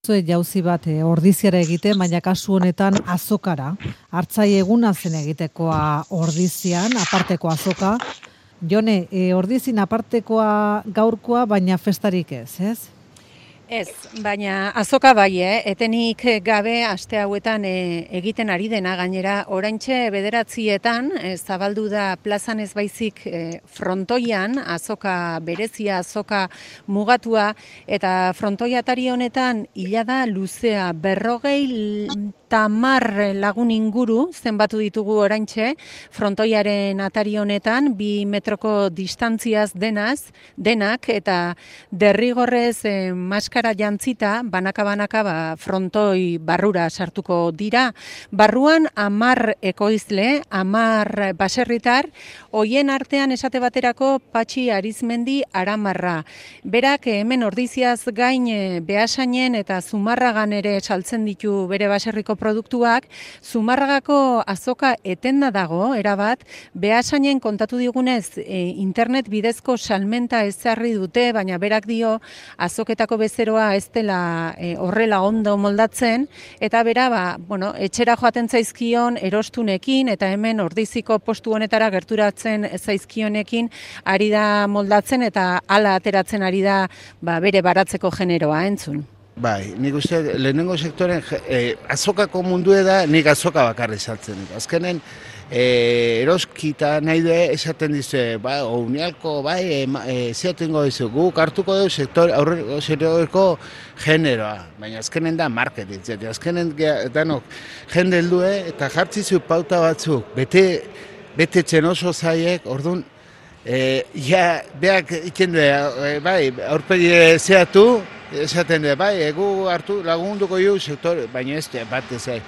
Zue jauzi bat ordiziara egite, baina kasu honetan azokara. Hartzai eguna zen egitekoa ordizian, aparteko azoka. Jone, ordizin apartekoa gaurkoa, baina festarik ez? Ez, baina azoka bai, etenik gabe aste hauetan egiten ari dena, gainera oraintxe 9:00 zabaldu da plazan ez baizik frontoian, azoka berezia, azoka mugatua, eta frontoia atari honetan hila da luzea 50 lagun inguru zenbatu ditugu oraintxe, frontoiaren atari honetan 2 metroko distantziaz denak, eta derrigorrez maskara jantzita, banaka frontoi barrura sartuko dira. Barruan 10 ekoizle, 10 baserritar, hoien artean esate baterako Patxi Arizmendi Aramarra. Berak hemen ordiziaz gain Beasainen eta Zumarragan ere saltzen ditu bere baserriko produktuak. Zumarragako azoka etenda dago, erabat, Beasainen kontatu digunez internet bidezko salmenta ezarri dute, baina berak dio azoketako bezeroa ez dela horrela ondo moldatzen, eta bera, etxera joaten zaizkion erostunekin, eta hemen ordiziko postu honetara gerturatzen zaizkionekin ari da moldatzen, eta hala ateratzen ari da bere baratzeko generoa, entzun. Bai, nik uste lehenengo sektoren azokako mundue da, nik azoka bakarri saltzen. Azkenen eroskita nahi du esaten dizu, unialko, zeatengo dizu, guk hartuko dugu sektoreko generoa, baina azkenen da marketing, azkenen danok jende heldue eta jartzizu pauta batzuk, bete txen oso zaiek, orduan, beak iken du, aurpegi zeatu, esaten du, egu hartu lagunduko ju sektor, baina ez bat ezai.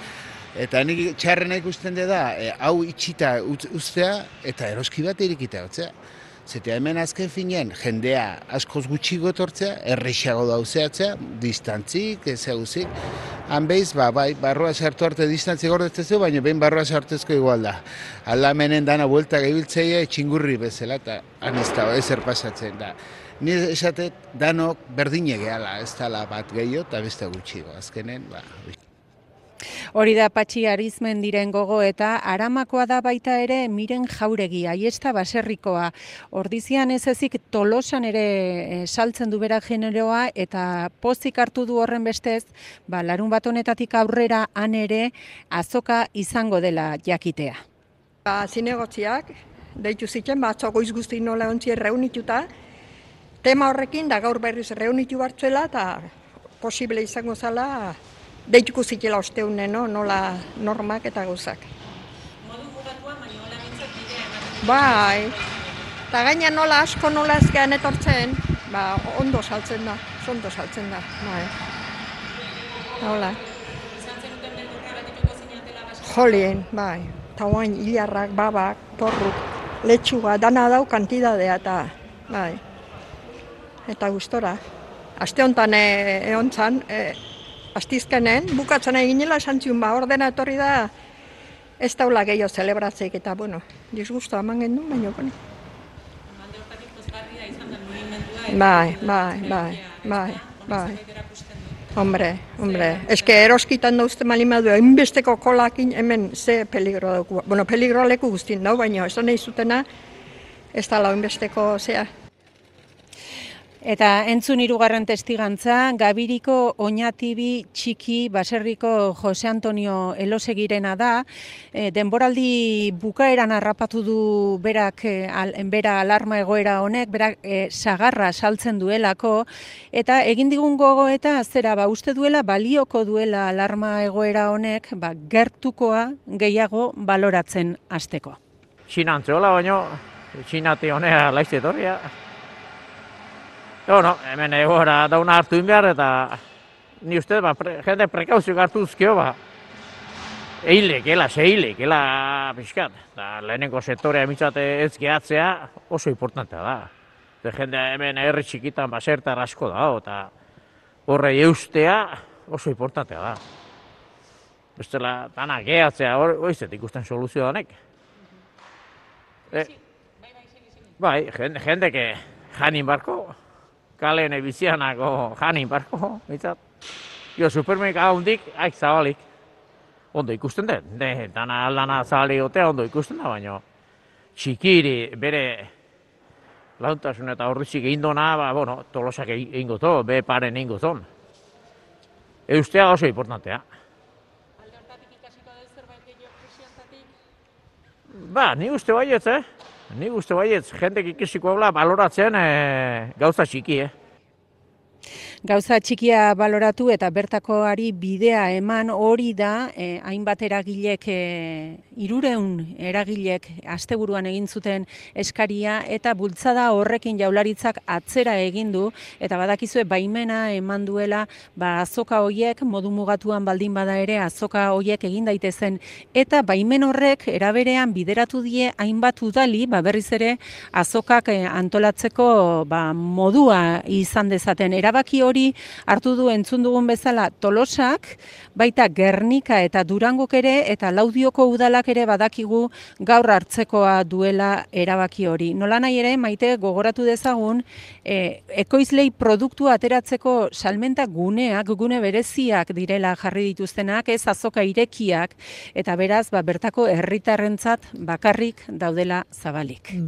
Eta nik txarrena ikusten da, hau itxita ustea eta eroski bat irikita hotzea. Zeta hemen azken finean, jendea askoz gutxiko etortzea, errexago dauzeatzea, distantzik, ezaguzik. Han behiz, barroa sartu arte distantzik gordetzeko, baina behin barroa sartezko igual da. Aldamenen dana buelta gehibiltzeia txingurri bezala, eta han ez da, ezer pasatzen da. Ni esatet, danok berdine gehala, ez dala bat gehiago eta beste gutxiko. Azkenen, Hori da Patxi Arizmendiren gogo, eta Aramakoa da baita ere Miren Jauregi, Aiesta baserrikoa. Ordizian ez ezik Tolosan ere saltzen du bera generoa, eta pozik hartu du horren bestez, larun bat honetatik aurrera han ere azoka izango dela jakitea. Zinegotziak, deitu zitzen, atzo goiz guzti nola ontzien reunituta, tema horrekin da gaur berriz reunitu bartzuela, eta posible izango zala, deituko zitela osteunen, nola normak eta gauzak. Modu mugatua, baina hola bintzat bidea ematen. Bai, eta gaina nola asko nola ezkean etortzen, ondo saltzen da, bai. Hola. Izan zenuten beldurra betituko zinatela basak. Jolien, bai, eta oain hilarrak, babak, porruk, letxuga, dana dau kantidadea eta, bai. Eta gustora. Aste honetan egon zan, astizkenen, bukatzen eginela esan ziun, ordena etorri da, ez daula gehiago zelebratzeik, eta, disgustoa eman gendu, baina, Alde hortatik pozgarria izan da mugimendua, bai. Hombre, eske eroskitan dauzte malimadu, hainbesteko kolakin hemen ze peligro dauku. Peligro leku guztin dau, baina ez da nahi zutena, ez da hainbesteko zea. Eta entzun hirugarren testigantza, Gabiriko Oñatibi txiki baserriko Jose Antonio Elosegirena da. Denboraldi bukaeran harrapatu du berak bera alarma egoera honek, berak sagarra saltzen duelako, eta egin digun gogoeta zera, uste duela balioko duela alarma egoera honek, gertukoa gehiago baloratzen hasteko. Txinantzeola baino, txinati honea laizte etorria. Hemen egoera dauna hartu inbehar eta ni uste, jende prekauzioak hartu uzkio, seilekela pixkat. Lehenengo sektorea mitzate ez gehatzea oso importantea da. Jende hemen herri txikitan basertar asko da, eta horre eustea oso importantea da. Bestela, dana gehatzea, hoizet ikusten soluzio danek. Bai, jendeke janin barko. Kalen bizianako janin barko, mitzat. Jo, supermerkatu hundik, zabalik. Ondo ikusten dut, dana aldana zabalik gotea ondo ikusten da, baina txikiri bere launtasun eta horritzik egin dona, Tolosak egin goto, be paren egin goton. Eustea oso importantea. Alde hortatik ikasiko dut zerbait gehiago presiantatik? Ni uste baietz, Ni uste baietz, jendek ikasiko habla baloratzen gauza txiki, Gauza txikia baloratu eta bertakoari bidea eman hori da, hainbat eragilek, 300 eragilek asteburuan egin zuten eskaria eta bultzada horrekin Jaurlaritzak atzera egin du eta badakizue baimena eman duela azoka hoiek modu mugatuan baldin bada ere azoka hoiek egin daitezen eta baimen horrek eraberean bideratu die hainbat udali berriz ere azokak antolatzeko modua izan dezaten. Erabaki hori hartu du entzun dugun bezala Tolosak, baita Gernika eta Durangok ere eta Laudioko udalak ere badakigu gaur hartzekoa duela erabaki hori. Nolanahi ere, Maite, gogoratu dezagun, ekoizlei produktua ateratzeko salmenta guneak, gune bereziak direla jarri dituztenak, ez azoka irekiak, eta beraz, bertako herritarrentzat bakarrik daudela zabalik.